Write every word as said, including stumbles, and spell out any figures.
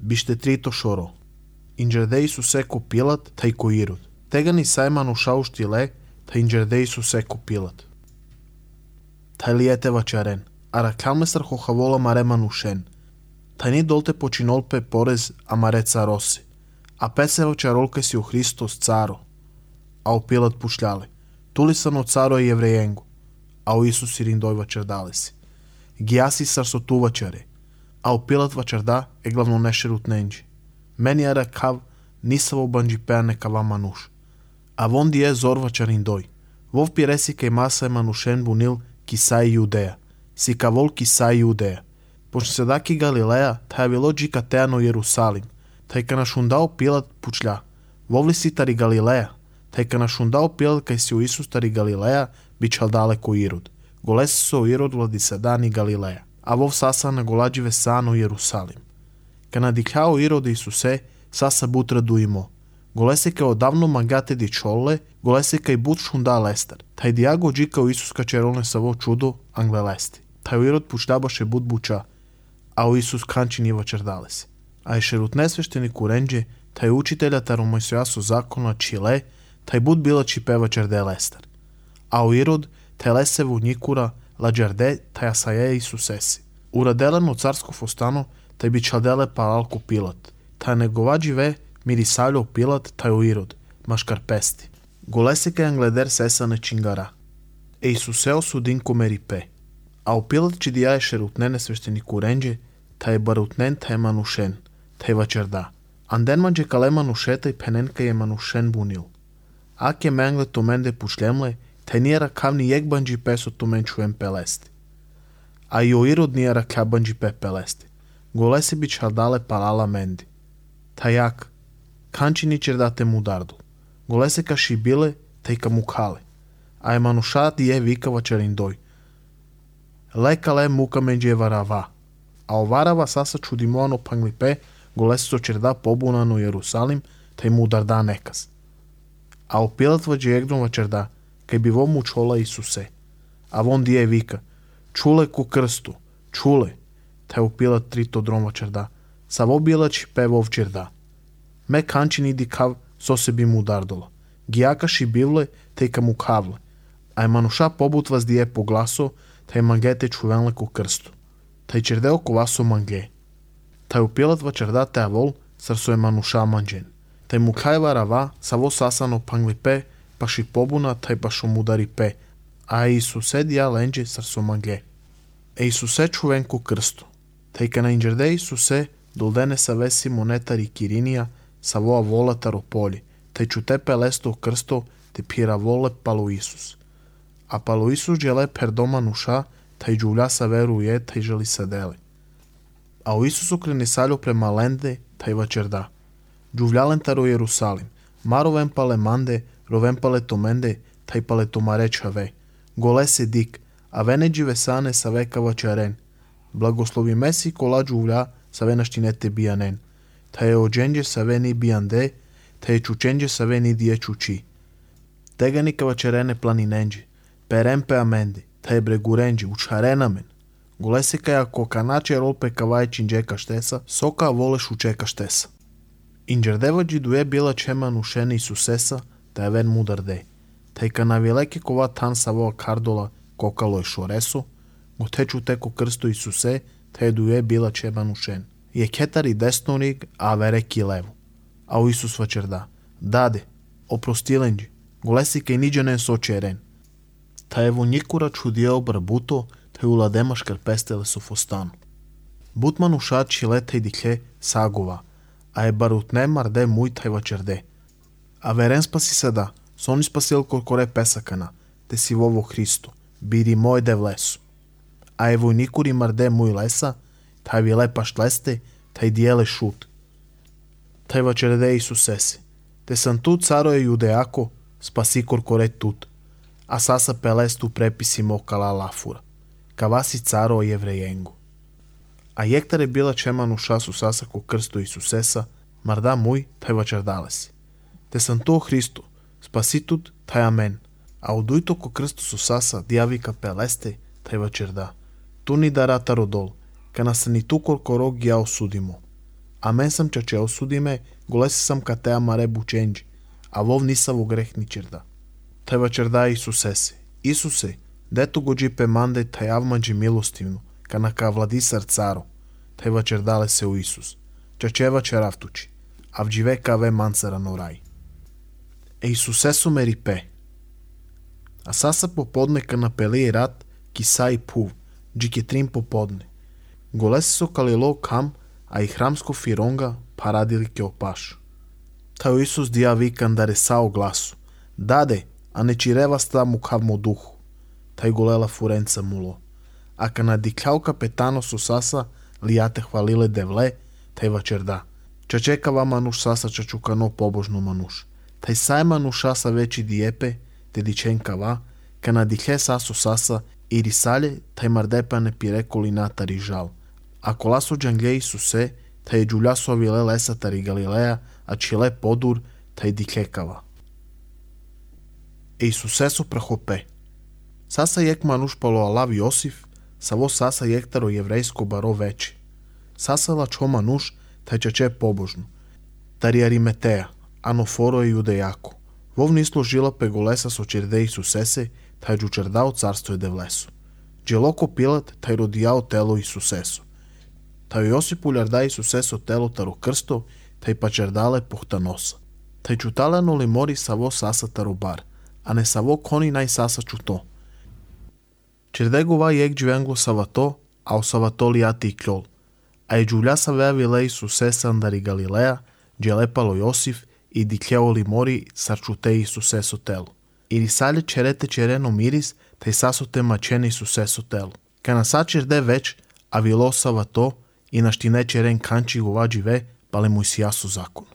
Биште трито шоро. Инджерде Исусе ко Пилат, тај ко Ирод. Тега ни сајма нушау штиле, та инджерде Исусе ко Пилат. Тај ли ете вачарен, ара калместар хохавола марема нушен. Тај ни долте починолпе порез, а маре цароси. А песе вачаролке си у Христос царо. А у Пилат пушляле. Тули са но царо е евреенго. А у Исус ирин дој вачардале си. Гиаси сарсоту вачаре. А у Пилат вачарда е главно нешерут ненджи. Мени ара кав нисаво банджи пеане кава мануш. А вон дие зор вачарин дој. Вов пиреси кај маса е манушен бунил кисај Јудеја. Си кавол кисај Јудеја. Почне седаки Галилеја, таја било джика теано Јерусалим. Тај ка нашундао Пилат пучля. Вовли си тари Галилеја. Тај ка нашундао Пилат кај си у Исус тари Галилеја, бичал далеко Ирод. Голеси со Ирод влади седани Галилеја. А вов саса на голадживе сано Јерусалим. Ка надикао Ирод Исусе, саса бутра дуимо. Голеси кај одавно магате ди чоле, голеси кај бут шунда лестер. Тај диаго джика у Исус качеролне са во чудо англелести. Тај Ирод пучлябаше бут буча, а у Исус канчини вачардалеси. А ешерут несвештени куренџе, тај учителя таро Мојсија со закона чиле, тај бут била чипева черде лестер. А у Ирод, тај лесе во никура, ладжарде, тај асаје Исусеси. Ураделен од царсков остано, тај би чалделе палалко Пилат. Тај негова живе, мирисалјо Пилат, тај у Ирод, машкарпести. Голеси кај англедер сеса не чингара. Е Исусео судин комерипе. А у Пилат чидија ешерутнене свештени куренџе, тај барутнен, тај манушен, тај вачарда. Анден манџе кале манушета и пенен кај е манушен бунил. Аке менгле томенде пушлемле, тај ние ракавни јек банџи песо томен чуем пелести. А и о Ирод ние рака банџи пе пелести. Голеси би чалдале палала менди. Тај јак, канчи ни чердате му дардул. Голеси ка шибиле, тај ка му кале. А е мануша дие вика вачарин дој. Лекале мука менџи е варава. А оварава саса чудимоано панглипе, голеси со черда побуна но Јерусалим, тај му ударда неказ. А у Пилат ваџи егдом вачерда, кај би во му чола Исусе. А вон дие вика, чуле ку крсту, чуле. Тај у Пилат трито дром вачерда, са во била чипе во вчерда. Ме канчини ди кав со се би му дардола. Гиака шибивле, тај ка му кавле. А е мануша побутва с дие по гласо, тај мангете чувенле ку крсту. Тај чердео ковасо манге. Тај у Пилат вачерда теа вол, срсо е мануша манџен. Тај му кајва рава, са во сасано панглипе, па ши побуна, тај па шо мудари пе. А Исусе дија ленџе срсо манге. Е Исусе чувен ку крсту. Тај ка на инџерде Исусе, долдене са веси монетари Киринија, са воа вола тарополи. Тај чуте пелесто крсто, те пира воле пало Исус. А пало Исус джеле пердома нуша, тај джуля са веруе, тај жели седеле. А у Исус окрени саљо према ленде, тај вачерда. Джувлялен таро Јерусалим, маровен пале манде, ровен пале томенде, тај пале томаре чаве. Голе се дик, а вене дживе сане са века вачарен. Благослови меси кола джувля, са вена штинете бијанен. Тај е одженџе са вени бијанде, тај е чученџе са вени дие чучи. Тегани ка вачарене планиненџе, перен пе аменде, тај е брегуренџе, учарена мен. Голе се кај ако каначе ролпе кавај чинџека штеса, сока воле шучека штеса. Инџердева джидуе била чема нушене Исусеса, тај вен мударде. Тај ка навилеке кова тан са воа кардола кокало е шоресо, го течу теко крсто Исусе, тај дуе била чема нушен. Је кетари деснориг, а вереки лево. А у Исус вачерда, даде, опростиленџи, голеси кај ниđенен сочерен. Тај во никура чудиео брабуто, тај уладема шкарпестеле со фостано. Бутман ушат чилета и дикле сагова, а е барутне марде муј тај вачерде. А верен спаси седа, сони спасил коркоре песакана, те си во во Христо, бири мој де влесу. А е војникури марде муј леса, тај ви лепаш лесте, тај диеле шут. Тај вачерде Исусеси, те сам тут царо е јудеако, спаси коркоре тут, а саса пелесту преписи мокала лафура, каваси царо е евреенго. А јектаре била чема нуша су саса ко крсто Исусеса, марда муј, тај вачердале си. Те сам то Христо, спаси тут, тај амен, а одујто ко крсто су саса, дијавика пелесте, тај вачерда. Ту ни дарата родол, ка насани ту коркоро ги ја осудимо. А мен sam čače osudi me, голеси sam ka te amare bučenđi, a vov nisa vo greh ni čerda. Taj vačerda Isusese. Isuse, dето го джипе манде taj avmađi milostivno, ka naka vladisar caro. Taj vačerdale se u Isus. Čačeva čeravtuči, a vđive ka ve mansara no raj. E Isusesu meri pe. A sasa popodne ka napeli rat, ki sa i puv, džik je trim popodne. Голеси со калило кам, а и храмско фиронга парадили ке опаш. Тај Исус дија викан да ресао гласу. Даде, а не чирева ста му кавмо духу. Тај голела фуренца муло. А кана дикляу капетано со саса, лијате хвалиле девле, тај вачерда. Чачека ва мануш саса чачукано побожно мануш. Тај сај мануш саса вечи диепе, те диченка ва, кана дикле сасо саса, и рисале, тај мардепа не пиреколи натари жал. А коласо джангле Исусе, тај джулясо авиле лесатари Галилеја, а чиле подур, тај диклекава. Е Исусесо прахопе. Саса јек мануш пало алав Јосиф, саво саса јектаро јеврејско баро вече. Саса лачо мануш, тај чаче побожно. Тари Ариметеја, анофоро е јудејако. Вов ни сложила пеголеса со черде Исусесе, тај джучердао царство е девлесо. Джелоко Пилат, тај родијао тело Исусесо. Тај Јосип улјарда Исусесо тело таро крсто, тај пачердале пухтаноса. Тај чуталено ли мори саво саса таро бар, а не саво кони нај саса чуто. Черде го ва јек джвенгло савато, а о савато ли ати и клјол. А и джуля са веа виле Исусеса андари Галилеја, джелепало Јосиф и диклео ли мори сарчуте Исусесо тело. И рисале черете черено мирис, тај сасоте мачене Исусесо тело. Кана са черде веч, а вило савато, и наштине черен канчи го ва дживе, пале му исијасо закон.